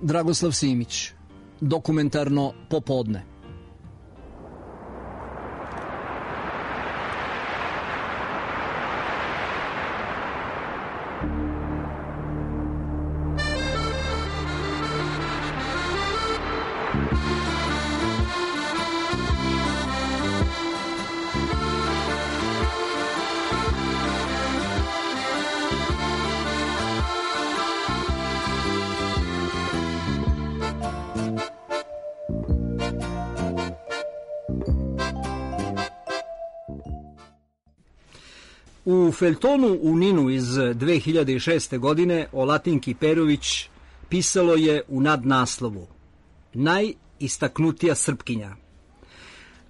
Dragoslav Simić, Dokumentarno popodne. U feljtonu u Ninu iz 2006. godine o Latinki Perović pisalo je u nadnaslovu Najistaknutija Srpkinja,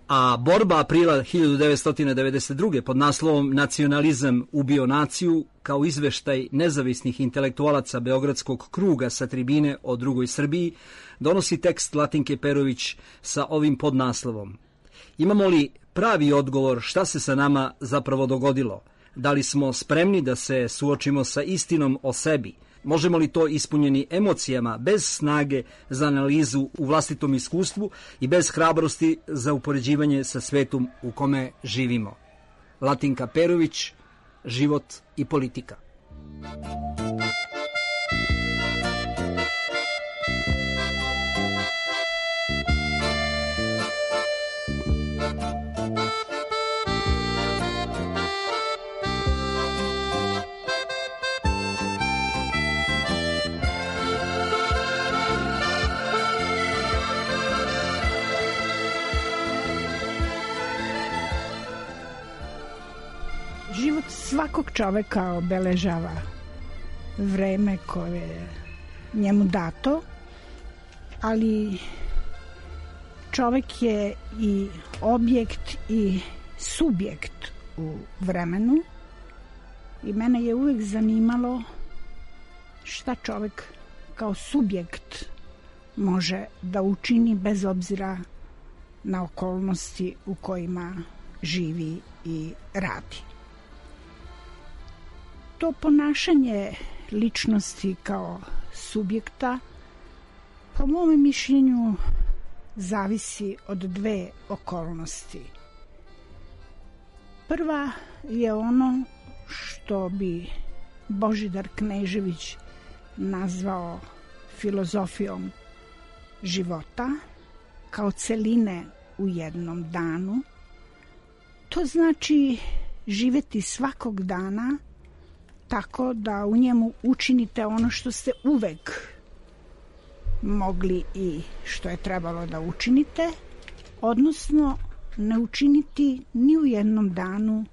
a borba aprila 1992. pod naslovom Nacionalizam ubio naciju kao izveštaj nezavisnih intelektualaca Beogradskog kruga sa tribine o drugoj Srbiji donosi tekst Latinke Perović sa ovim podnaslovom. Imamo li pravi odgovor šta se sa nama zapravo dogodilo? Da li smo spremni da se suočimo sa istinom o sebi? Možemo li to ispunjeni emocijama, bez snage za analizu u vlastitom iskustvu i bez hrabrosti za upoređivanje sa svetom u kome živimo? Latinka Perović, Život i politika. Život svakog čoveka obeležava vreme koje je njemu dato, ali čovek je i objekt i subjekt u vremenu i mene je uvek zanimalo šta čovek kao subjekt može da učini bez obzira na okolnosti u kojima živi i radi. To ponašanje ličnosti kao subjekta, po mom mišljenju, zavisi od dve okolnosti. Prva je ono što bi Božidar Knežević nazvao filozofijom života, kao celine u jednom danu. To znači živeti svakog dana tako da u njemu učinite ono što ste uvek mogli i što je trebalo da učinite, odnosno ne učiniti ni u jednom danu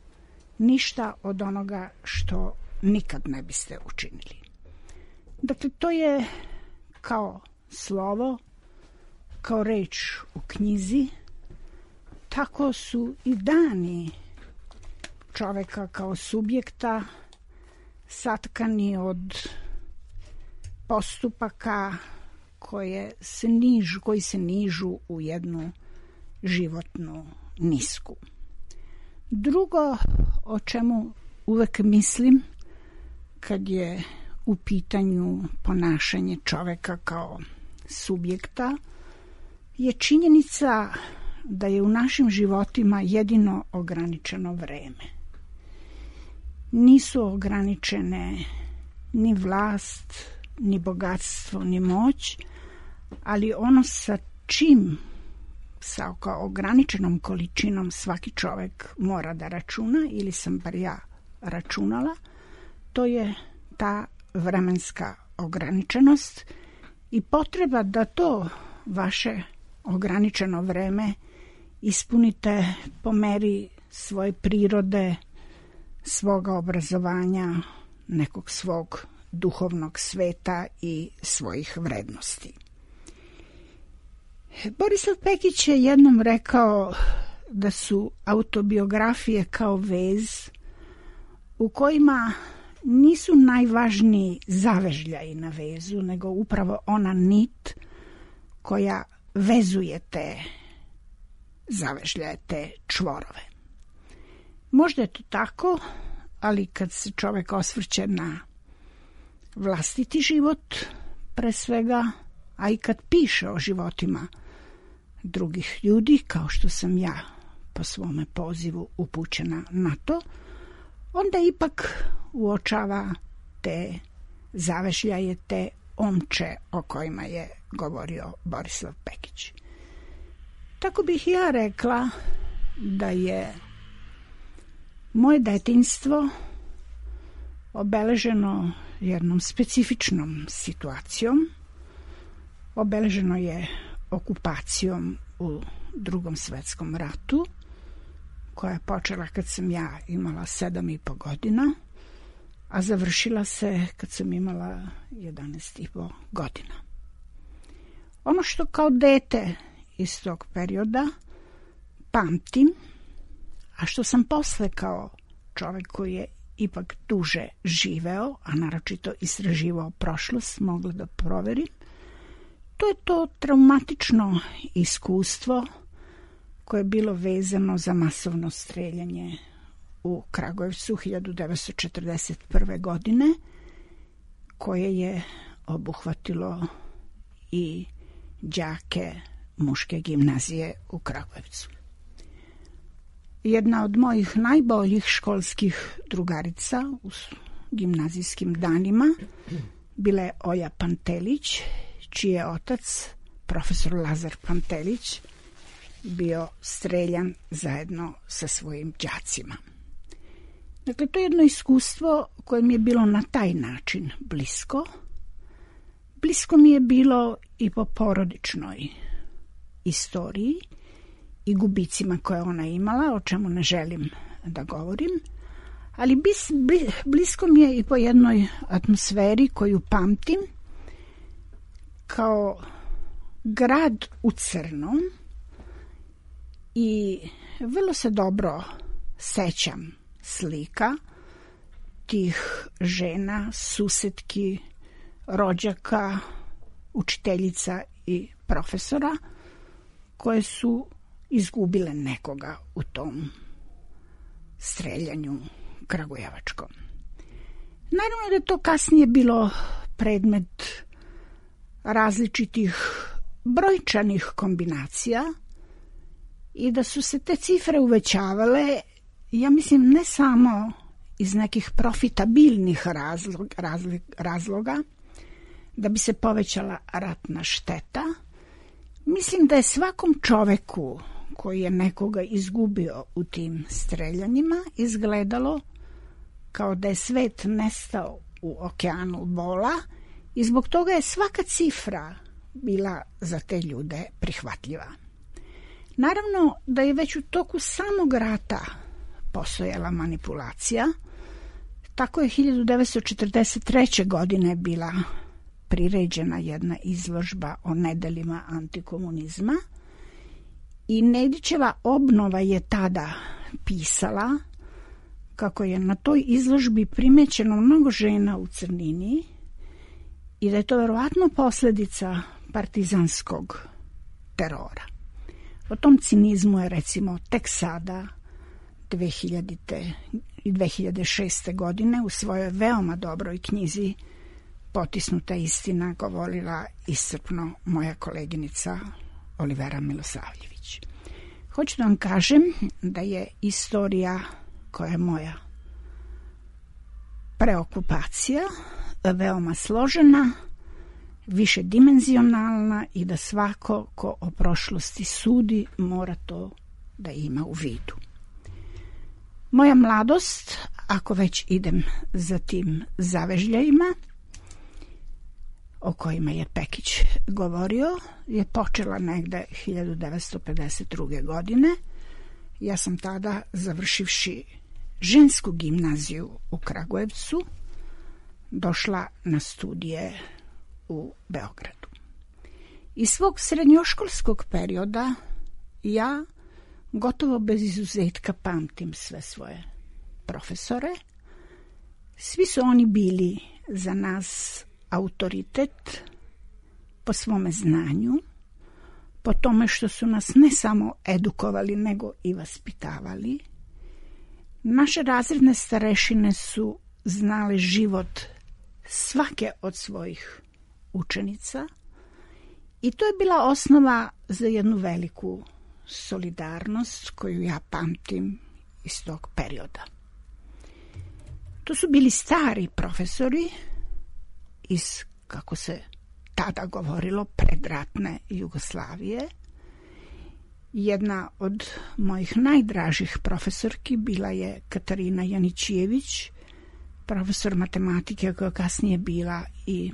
ništa od onoga što nikad ne biste učinili. Dakle, to je kao slovo, kao reč u knjizi, tako su i dani čoveka kao subjekta satkani od postupaka koji se nižu u jednu životnu nisku. Drugo o čemu uvek mislim kad je u pitanju ponašanje čoveka kao subjekta je činjenica da je u našim životima jedino ograničeno vreme. Nisu ograničene ni vlast, ni bogatstvo, ni moć, ali ono sa čim, sa ograničenom količinom svaki čovek mora da računa, ili sam bar ja računala, to je ta vremenska ograničenost i potreba da to vaše ograničeno vreme ispunite po meri svoje prirode, svoga obrazovanja, nekog svog duhovnog sveta i svojih vrednosti. Borislav Pekić je jednom rekao da su autobiografije kao vez u kojima nisu najvažniji zavežljaji na vezu, nego upravo ona nit koja vezuje te zavežljaje, te čvorove. Možda je to tako, ali kad se čovek osvrće na vlastiti život, pre svega a i kad piše o životima drugih ljudi, kao što sam ja po svome pozivu upućena na to, onda ipak uočava te zavežljaje, te omče o kojima je govorio Borislav Pekić. Tako bih ja rekla da je moje detinjstvo obeleženo jednom specifičnom situacijom. Obeleženo je okupacijom u Drugom svetskom ratu, koja je počela kad sam ja imala 7,5 godina, a završila se kad sam imala 11,5 godina. Ono što kao dete iz tog perioda pamtim, a što sam posle kao čovjek koji je ipak duže živeo, a naročito istraživao prošlost, mogla da proverim, to je to traumatično iskustvo koje je bilo vezano za masovno streljanje u Kragujevcu 1941. godine, koje je obuhvatilo i đake muške gimnazije u Kragujevcu. Jedna od mojih najboljih školskih drugarica u gimnazijskim danima bila je Olja Pantelić, čiji je otac, profesor Lazar Pantelić, bio streljan zajedno sa svojim đacima. Dakle, to je jedno iskustvo koje mi je bilo na taj način blisko. Blisko mi je bilo i po porodičnoj istoriji i gubicima koje ona imala, o čemu ne želim da govorim, ali blisko mi je i po jednoj atmosferi koju pamtim kao grad u crnom i vrlo se dobro sećam slika tih žena, susetki, rođaka, učiteljica i profesora koje su izgubile nekoga u tom streljanju kragujevačkom. Naravno da je to kasnije bilo predmet različitih brojčanih kombinacija i da su se te cifre uvećavale, ja mislim, ne samo iz nekih profitabilnih razloga da bi se povećala ratna šteta. Mislim da je svakom čoveku koji je nekoga izgubio u tim streljanjima izgledalo kao da je svet nestao u okeanu bola i zbog toga je svaka cifra bila za te ljude prihvatljiva. Naravno da je već u toku samog rata postojala manipulacija. Tako je 1943. godine bila priređena jedna izložba o nedelima antikomunizma i Nedićeva obnova je tada pisala kako je na toj izložbi primećeno mnogo žena u crnini i da je to verovatno posljedica partizanskog terora. O tom cinizmu je recimo tek sada 2000. i 2006. godine u svojoj veoma dobroj knjizi Potisnuta istina govorila iscrpno moja koleginica Olivera Milosavljević. Hoću da vam kažem da je istorija koja je moja preokupacija veoma složena, višedimenzionalna i da svako ko o prošlosti sudi mora to da ima u vidu. Moja mladost, ako već idem za tim zavežljajima o kojima je Pekić govorio, je počela negde 1952. godine. Ja sam tada, završivši žensku gimnaziju u Kragujevcu, došla na studije u Beogradu. Iz svog srednjoškolskog perioda ja gotovo bez izuzetka pamtim sve svoje profesore. Svi su oni bili za nas autoritet po svome znanju, po tome što su nas ne samo edukovali, nego i vaspitavali. Naše razredne starešine su znale život svake od svojih učenica I to je bila osnova za jednu veliku solidarnost koju ja pamtim iz tog perioda. To su bili stari profesori iz, kako se tada govorilo, predratne Jugoslavije. Jedna od mojih najdražih profesorki bila je Katarina Janićijević, profesor matematike koja kasnije bila i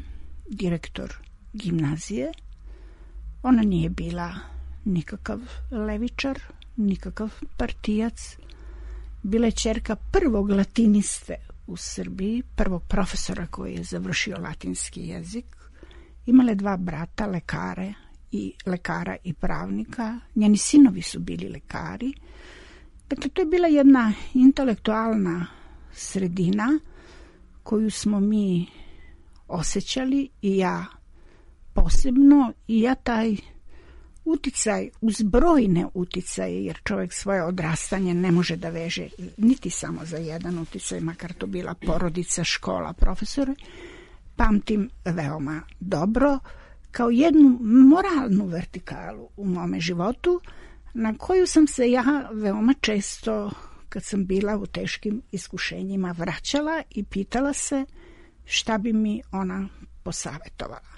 direktor gimnazije. Ona nije bila nikakav levičar, nikakav partijac. Bila je ćerka prvog latiniste u Srbiji, prvog profesora koji je završio latinski jezik. Imala je 2 brata, lekara i pravnika. Njeni sinovi su bili lekari. Dakle, to je bila jedna intelektualna sredina koju smo mi osjećali i ja posebno, i ja taj uticaj, uz brojne uticaje, jer čovjek svoje odrastanje ne može da veže niti samo za jedan uticaj, makar to bila porodica, škola, profesore, pamtim veoma dobro kao jednu moralnu vertikalu u mome životu, na koju sam se ja veoma često, kad sam bila u teškim iskušenjima, vraćala i pitala se šta bi mi ona posavetovala.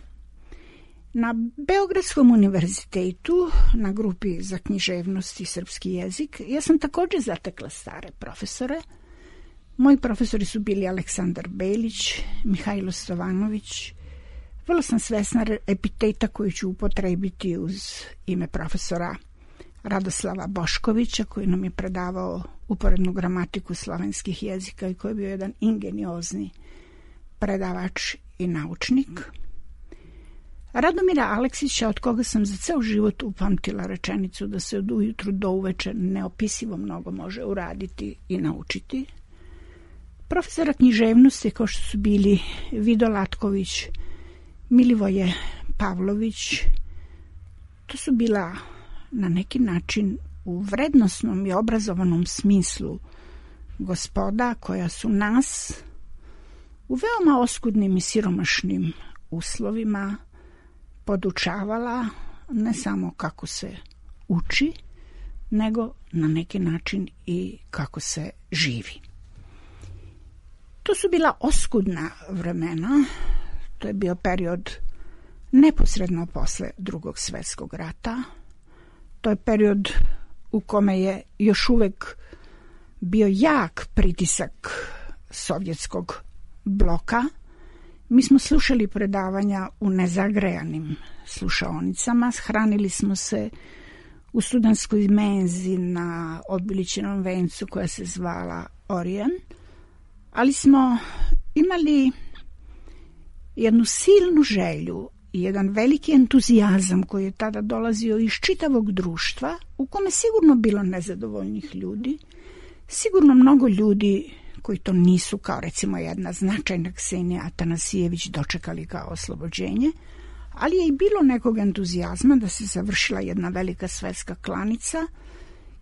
Na Beogradskom univerzitetu, na grupi za književnost i srpski jezik, ja sam također zatekla stare profesore. Moji profesori su bili Aleksandar Belić, Mihajlo Stovanović. Vrlo sam svesna epiteta koju ću upotrebiti uz ime profesora Radoslava Boškovića, koji nam je predavao uporednu gramatiku slovenskih jezika i koji je bio jedan ingeniozni predavač i naučnik. Radomira Aleksića, od koga sam za ceo život upamtila rečenicu da se od ujutru do uveče neopisivo mnogo može uraditi i naučiti. Profesora književnosti, kao što su bili Vido Latković, Milivoje Pavlović, to su bila na neki način u vrednosnom i obrazovanom smislu gospoda koja su nas u veoma oskudnim i siromašnim uslovima podučavala ne samo kako se uči, nego na neki način i kako se živi. To su bila oskudna vremena, to je bio period neposredno posle Drugog svjetskog rata, to je period u kome je još uvek bio jak pritisak sovjetskog bloka. Mi smo slušali predavanja u nezagrejanim slušaonicama, hranili smo se u studentskoj menzi na obilićenom vencu koja se zvala Orijen, ali smo imali jednu silnu želju i jedan veliki entuzijazam koji je tada dolazio iz čitavog društva, u kome sigurno bilo nezadovoljnih ljudi, sigurno mnogo ljudi koji to nisu, kao recimo jedna značajna Ksenija Atanasijević, dočekali kao oslobođenje, ali je i bilo nekog entuzijazma da se završila jedna velika svetska klanica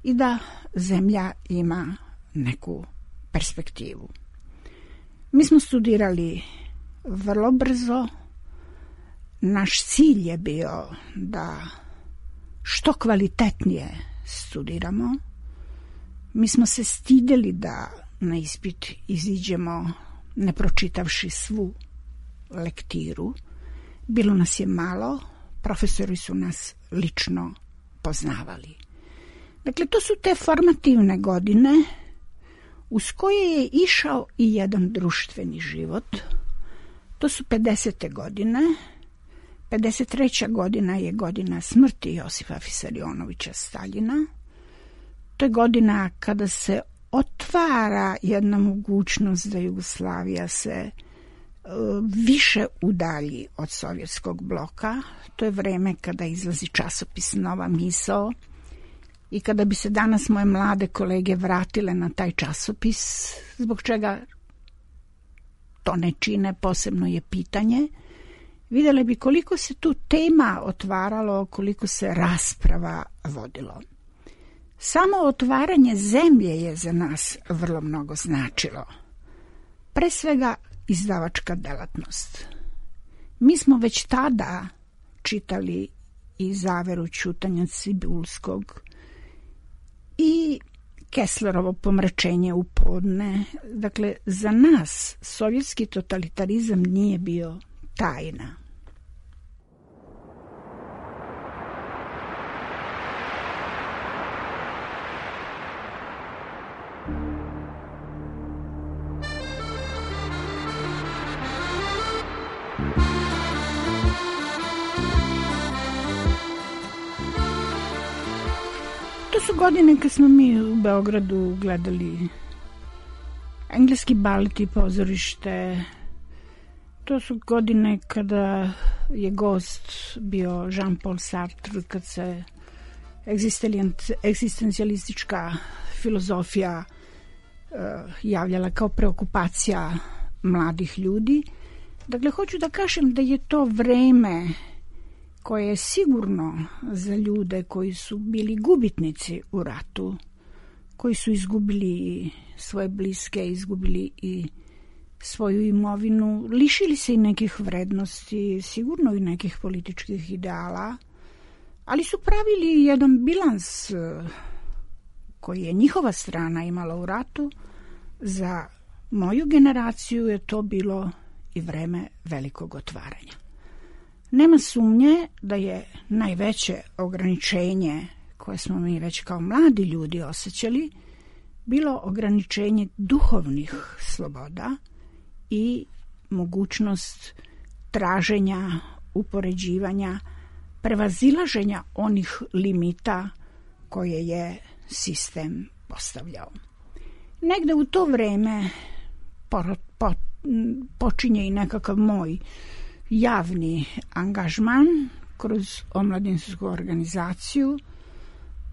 i da zemlja ima neku perspektivu. Mi smo studirali vrlo brzo. Naš cilj je bio da što kvalitetnije studiramo. Mi smo se stidjeli da na ispit iziđemo ne pročitavši svu lektiru. Bilo nas je malo, profesori su nas lično poznavali. Dakle, to su te formativne godine uz koje je išao i jedan društveni život. To su 50. godine. 53. godina je godina smrti Josipa Fisarionovića Staljina. To je godina kada se otvara jedna mogućnost da Jugoslavija se više udalji od sovjetskog bloka. To je vreme kada izlazi časopis Nova misao i kada bi se danas moje mlade kolege vratile na taj časopis, zbog čega to ne čine, posebno je pitanje, vidjeli bi koliko se tu tema otvaralo, koliko se rasprava vodilo. Samo otvaranje zemlje je za nas vrlo mnogo značilo. Pre svega izdavačka delatnost. Mi smo već tada čitali i zaveru ćutanja Cibulskog i Kesslerovo pomračenje u podne. Dakle, za nas sovjetski totalitarizam nije bio tajna. To su godine kad smo mi u Beogradu gledali engleski balet i pozorište. To su godine kada je gost bio Jean-Paul Sartre, kad se egzistencijalistička filozofija javljala kao preokupacija mladih ljudi. Dakle, hoću da kažem da je to vreme koje je sigurno za ljude koji su bili gubitnici u ratu, koji su izgubili svoje bliske, izgubili i svoju imovinu, lišili se i nekih vrednosti, sigurno i nekih političkih ideala, ali su pravili jedan bilans koji je njihova strana imala u ratu. Za moju generaciju je to bilo i vreme velikog otvaranja. Nema sumnje da je najveće ograničenje koje smo mi već kao mladi ljudi osjećali bilo ograničenje duhovnih sloboda i mogućnost traženja, upoređivanja, prevazilaženja onih limita koje je sistem postavljao. Negde u to vreme počinje i nekakav moj javni angažman kroz omladinsku organizaciju,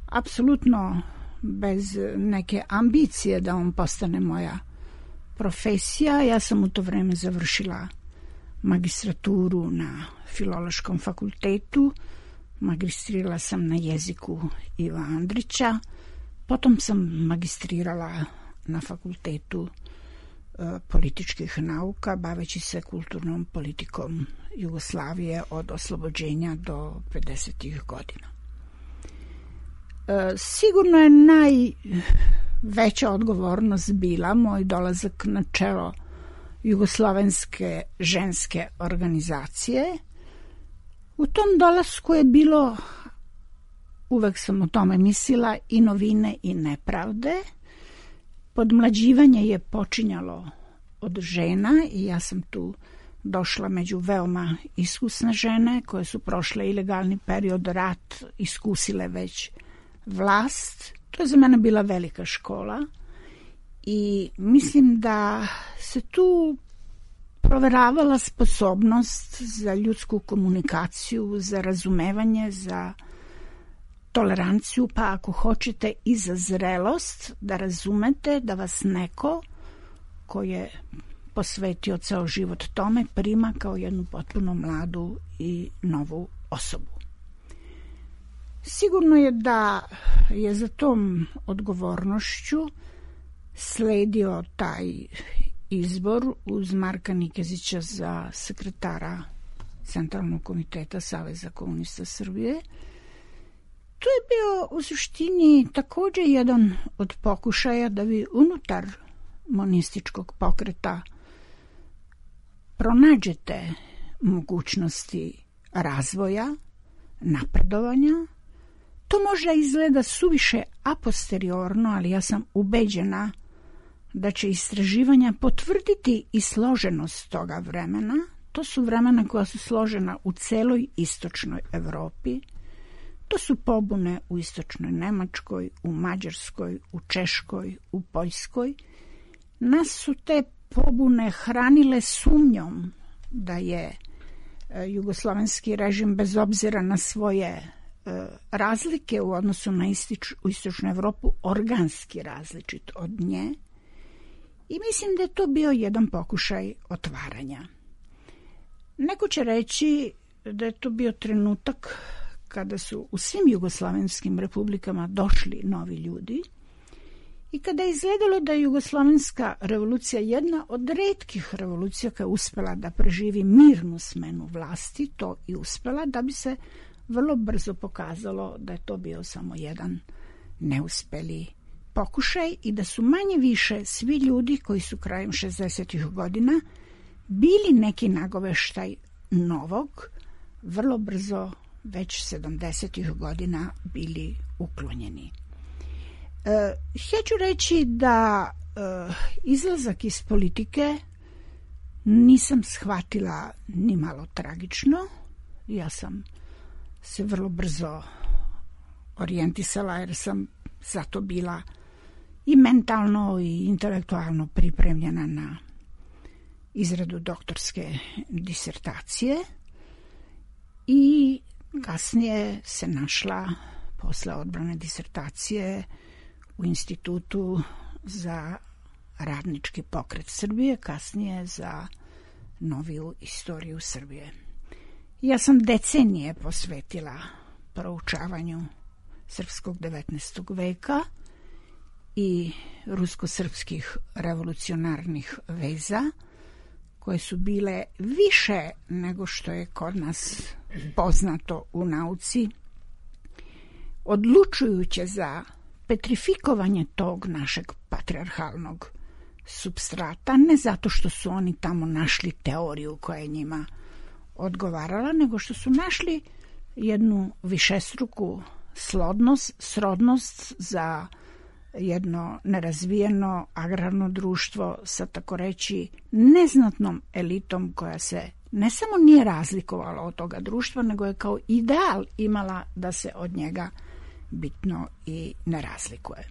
apsolutno bez neke ambicije da on postane moja profesija. Ja sam u to vreme završila magistraturu na Filološkom fakultetu, magistrirala sam na jeziku Iva Andrića, potom sam magistrirala na fakultetu političkih nauka, baveći se kulturnom politikom Jugoslavije od oslobođenja do 50. godina. Sigurno je najveća odgovornost bila moj dolazak na čelo Jugoslovenske ženske organizacije. U tom dolasku je bilo, uvek sam o tome mislila, i novine i nepravde. Podmlađivanje je počinjalo od žena i ja sam tu došla među veoma iskusne žene koje su prošle ilegalni period, rat, iskusile već vlast. To je za mene bila velika škola i mislim da se tu proveravala sposobnost za ljudsku komunikaciju, za razumevanje, za toleranciju, pa ako hoćete i za zrelost, da razumete da vas neko ko je posvetio ceo život tome prima kao jednu potpuno mladu i novu osobu. Sigurno je da je za tom odgovornošću sledio taj izbor uz Marka Nikezića za sekretara Centralnog komiteta Saveza komunista Srbije. To je bio u suštini takođe jedan od pokušaja da vi unutar monističkog pokreta pronađete mogućnosti razvoja, napredovanja. To možda izgleda suviše a posteriorno, ali ja sam ubeđena da će istraživanja potvrditi i složenost toga vremena. To su vremena koja su složena u celoj istočnoj Evropi. To su pobune u istočnoj Nemačkoj, u Mađarskoj, u Češkoj, u Poljskoj. Nas su te pobune hranile sumnjom da je jugoslovenski režim, bez obzira na svoje razlike u odnosu na istočnu Evropu, organski različit od nje. I mislim da je to bio jedan pokušaj otvaranja. Neko će reći da je to bio trenutak kada su u svim jugoslovenskim republikama došli novi ljudi i kada je izgledalo da je jugoslovenska revolucija jedna od retkih revolucija koja je uspela da preživi mirnu smenu vlasti, to i uspela da bi se vrlo brzo pokazalo da je to bio samo jedan neuspeli pokušaj i da su manje više svi ljudi koji su krajem 60. godina bili neki nagoveštaj novog, vrlo brzo već 70. godina bili uklonjeni. Hoću reći da izlazak iz politike nisam shvatila ni malo tragično. Ja sam se vrlo brzo orijentisala jer sam zato bila i mentalno i intelektualno pripremljena na izradu doktorske disertacije i kasnije se našla posle odbrane disertacije u Institutu za radnički pokret Srbije, kasnije za noviju istoriju Srbije. Ja sam decenije posvetila proučavanju srpskog 19. veka i rusko-srpskih revolucionarnih veza, koje su bile više nego što je kod nas poznato u nauci, odlučujuće za petrifikovanje tog našeg patrijarhalnog supstrata, ne zato što su oni tamo našli teoriju koja je njima odgovarala, nego što su našli jednu višestruku srodnost za jedno nerazvijeno agrarno društvo sa, tako reći, neznatnom elitom koja se ne samo nije razlikovala od toga društva, nego je kao ideal imala da se od njega bitno i ne razlikuje.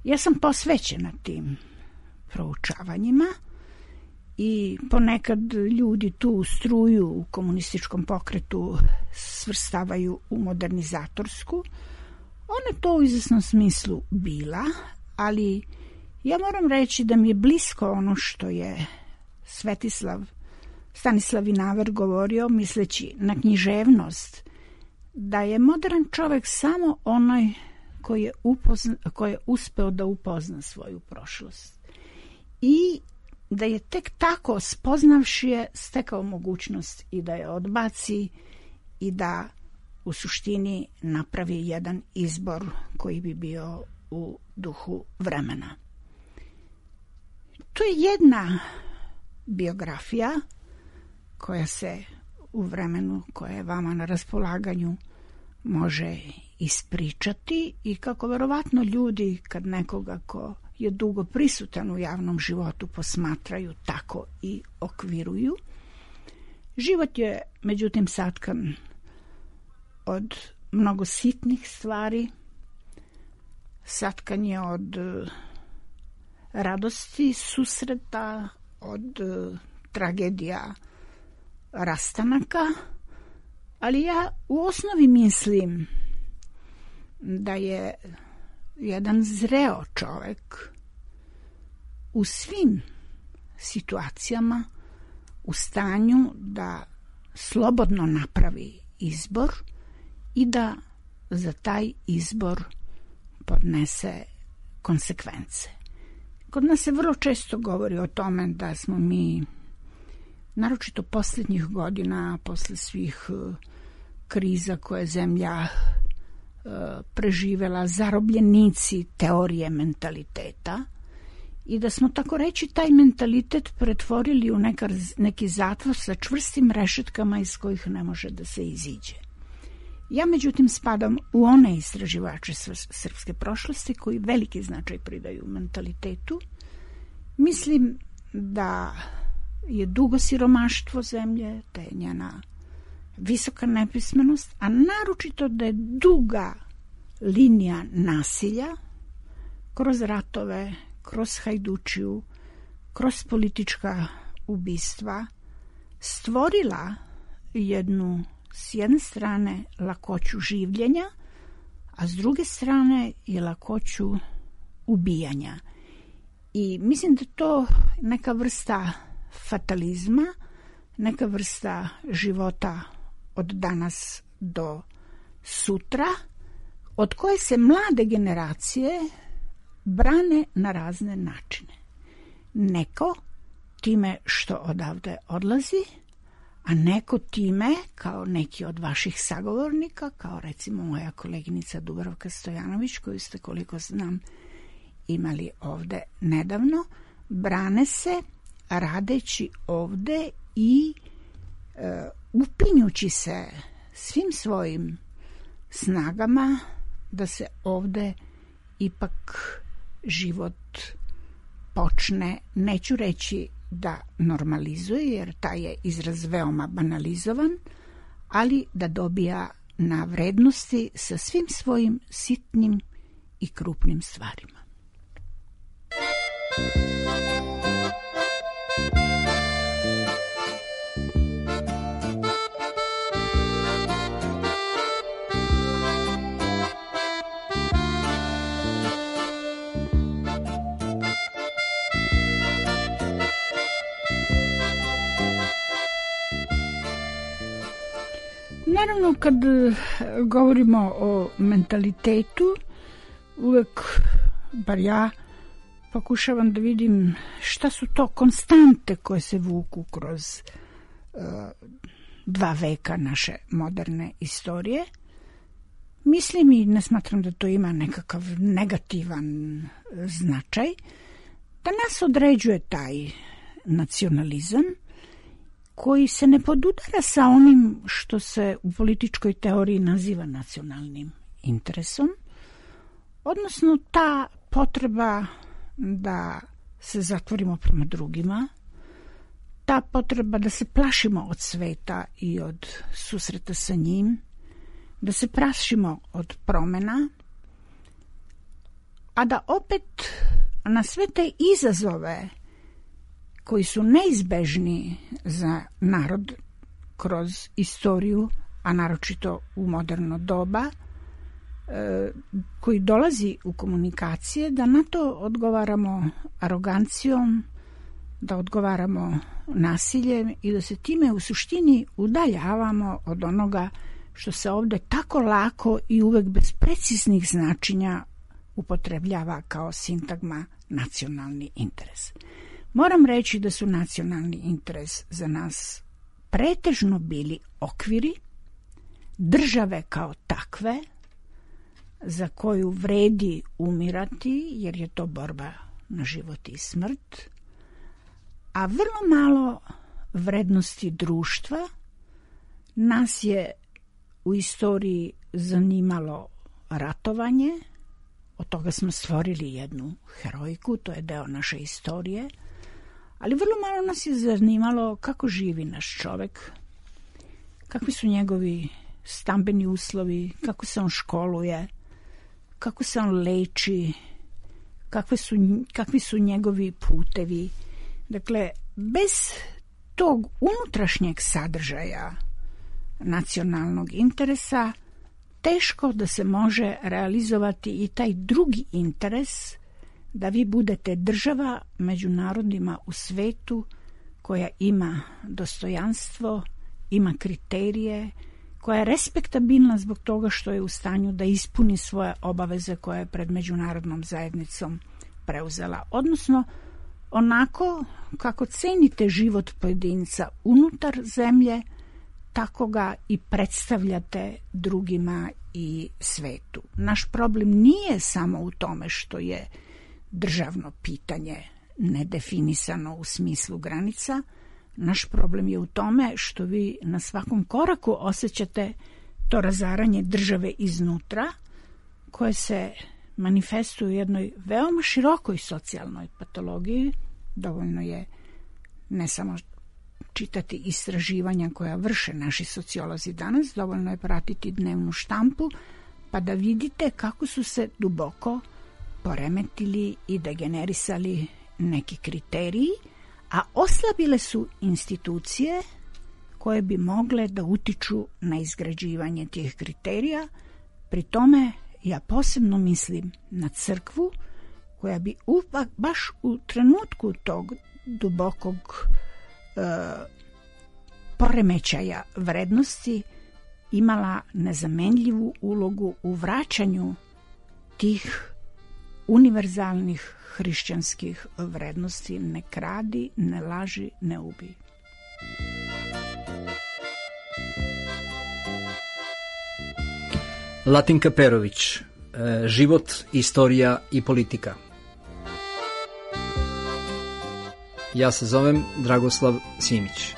Ja sam posvećena tim proučavanjima i ponekad ljudi tu struju u komunističkom pokretu svrstavaju u modernizatorsku. Ona to u izvesnom smislu bila, ali ja moram reći da mi je blisko ono što je Stanislav Vinaver govorio, misleći na književnost, da je modern čovjek samo onaj koji je uspeo da upozna svoju prošlost. I da je tek tako spoznavši je stekao mogućnost i da je odbaci i da u suštini napravi jedan izbor koji bi bio u duhu vremena. To je jedna biografija koja se u vremenu koje je vama na raspolaganju može ispričati i kako verovatno ljudi kad nekoga ko je dugo prisutan u javnom životu posmatraju, tako i okviruju. Život je međutim satkan od mnogo sitnih stvari, satkan je od radosti susreta, od tragedija rastanaka, ali ja u osnovi mislim da je jedan zreo čovjek u svim situacijama u stanju da slobodno napravi izbor i da za taj izbor podnese konsekvence. Kod nas se vrlo često govori o tome da smo mi, naročito posljednjih godina, posle svih kriza koje je zemlja preživela, zarobljenici teorije mentaliteta i da smo, tako reći, taj mentalitet pretvorili u neki zatvor sa čvrstim rešetkama iz kojih ne može da se iziđe. Ja, međutim, spadam u one istraživače srpske prošlosti koji veliki značaj pridaju mentalitetu. Mislim da je dugo siromaštvo zemlje, da je njena visoka nepismenost, a naročito da je duga linija nasilja kroz ratove, kroz hajdučiju, kroz politička ubistva stvorila jednu, s jedne strane, lakoću življenja, a s druge strane je lakoću ubijanja. I mislim da to neka vrsta fatalizma, neka vrsta života od danas do sutra, od koje se mlade generacije brane na razne načine. Neko time što odavde odlazi, a neko time, kao neki od vaših sagovornika, kao recimo moja koleginica Dubravka Stojanović, koju ste, koliko znam, imali ovde nedavno, brane se radeći ovde i upinjući se svim svojim snagama da se ovde ipak život počne, neću reći da normalizuje, jer taj je izraz veoma banalizovan, ali da dobija na vrednosti sa svim svojim sitnim i krupnim stvarima. Naravno, kad govorimo o mentalitetu, uvek, bar ja, pokušavam da vidim šta su to konstante koje se vuku kroz 2 veka naše moderne istorije. Mislim i ne smatram da to ima nekakav negativan značaj, da nas određuje taj nacionalizam koji se ne podudara sa onim što se u političkoj teoriji naziva nacionalnim interesom, odnosno ta potreba da se zatvorimo prema drugima, ta potreba da se plašimo od sveta i od susreta sa njim, da se plašimo od promena, a da opet na sve te izazove koji su neizbežni za narod kroz istoriju, a naročito u moderno doba, koji dolazi u komunikacije, da na to odgovaramo arogancijom, da odgovaramo nasiljem i da se time u suštini udaljavamo od onoga što se ovde tako lako i uvek bez preciznih značenja upotrebljava kao sintagma nacionalni interes. Moram reći da su nacionalni interes za nas pretežno bili okviri, države kao takve, za koju vredi umirati, jer je to borba na život i smrt, a vrlo malo vrednosti društva. Nas je u istoriji zanimalo ratovanje, od toga smo stvorili jednu heroiku, to je deo naše istorije, ali vrlo malo nas je zanimalo kako živi naš čovek, kakvi su njegovi stambeni uslovi, kako se on školuje, kako se on leči, kakvi su njegovi putevi. Dakle, bez tog unutrašnjeg sadržaja nacionalnog interesa teško da se može realizovati i taj drugi interes, da vi budete država među narodima u svetu koja ima dostojanstvo, ima kriterije, koja je respektabilna zbog toga što je u stanju da ispuni svoje obaveze koje je pred međunarodnom zajednicom preuzela. Odnosno, onako kako cenite život pojedinca unutar zemlje, tako ga i predstavljate drugima i svetu. Naš problem nije samo u tome što je državno pitanje nedefinisano u smislu granica. Naš problem je u tome što vi na svakom koraku osjećate to razaranje države iznutra, koje se manifestuje u jednoj veoma širokoj socijalnoj patologiji. Dovoljno je ne samo čitati istraživanja koja vrše naši sociolozi danas, dovoljno je pratiti dnevnu štampu, pa da vidite kako su se duboko poremetili i degenerisali neki kriteriji, a oslabile su institucije koje bi mogle da utiču na izgrađivanje tih kriterija. Pri tome ja posebno mislim na crkvu, koja bi baš u trenutku tog dubokog poremećaja vrednosti imala nezamenljivu ulogu u vraćanju tih univerzalnih hrišćanskih vrednosti: ne kradi, ne laži, ne ubij. Latinka Perović, život, istorija i politika. Ja se zovem Dragoslav Simić.